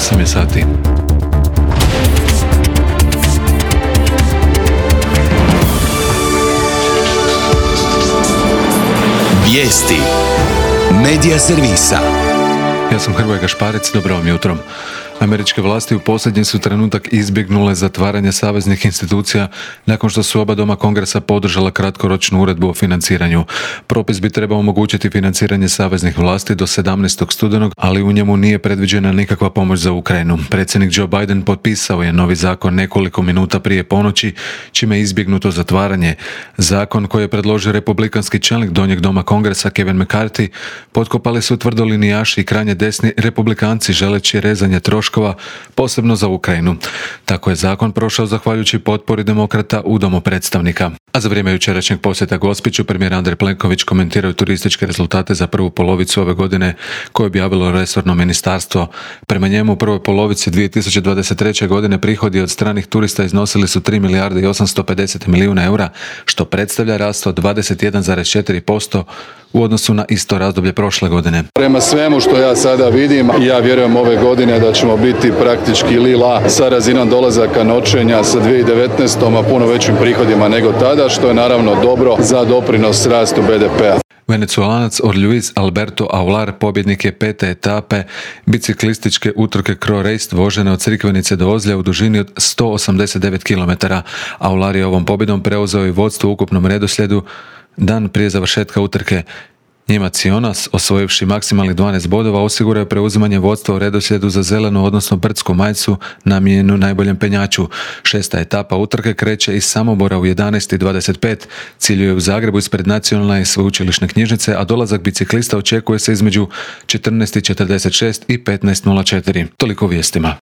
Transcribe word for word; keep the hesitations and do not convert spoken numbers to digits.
osam je sati. Vijesti Medija servisa. Ja sam Hrvoje Gašparec, dobro vam jutro. Američke vlasti u posljednji su trenutak izbjegnule zatvaranje saveznih institucija nakon što su oba doma Kongresa podržala kratkoročnu uredbu o financiranju. Propis bi trebao omogućiti financiranje saveznih vlasti do sedamnaestog studenog, ali u njemu nije predviđena nikakva pomoć za Ukrajinu. Predsjednik Joe Biden potpisao je novi zakon nekoliko minuta prije ponoći, čime je izbjegnuto zatvaranje. Zakon koji je predložio republikanski čelnik donjeg doma Kongresa Kevin McCarthy potkopali su tvrdolinijaši i krajnje desni republikanci želeći rezanje troškova, posebno za Ukrajinu. Tako je zakon prošao zahvaljujući potpori demokrata u domu predstavnika. A za vrijeme jučerašnjeg posjeta Gospiću premijer Andrej Plenković komentirao turističke rezultate za prvu polovicu ove godine koje je objavilo resorno ministarstvo. Prema njemu u prvoj polovici dvije tisuće dvadeset treće. godine prihodi od stranih turista iznosili su tri milijarde i osamsto pedeset milijuna eura, što predstavlja rast od dvadeset jedan zarez četiri posto u odnosu na isto razdoblje prošle godine. Prema svemu što ja sada vidim, ja vjerujem ove godine da ćemo biti praktički lila sa razinom dolazaka noćenja sa dvije tisuće devetnaeste. a puno većim prihodima nego tada, što je naravno dobro za doprinos rastu be de pea. Venecuelanac Luis Alberto Aular pobjednik je pete etape biciklističke utrke Croix Race vožene od Crikvenice do Ozlja u dužini od sto osamdeset devet kilometara. Aular je ovom pobjedom preuzeo i vodstvo u ukupnom redoslijedu dan prije završetka utrke. Njemac Jonas, osvojivši maksimalnih dvanaest bodova, osigurao je preuzimanje vodstva u redoslijedu za zelenu, odnosno brdsku majicu namijenjenu najboljem penjaču. Šesta etapa utrke kreće iz Samobora u jedanaest i dvadeset pet. Ciljuje u Zagrebu ispred Nacionalne i sveučilišne knjižnice, a dolazak biciklista očekuje se između četrnaest i četrdeset šest i petnaest nula četiri. Toliko vijestima.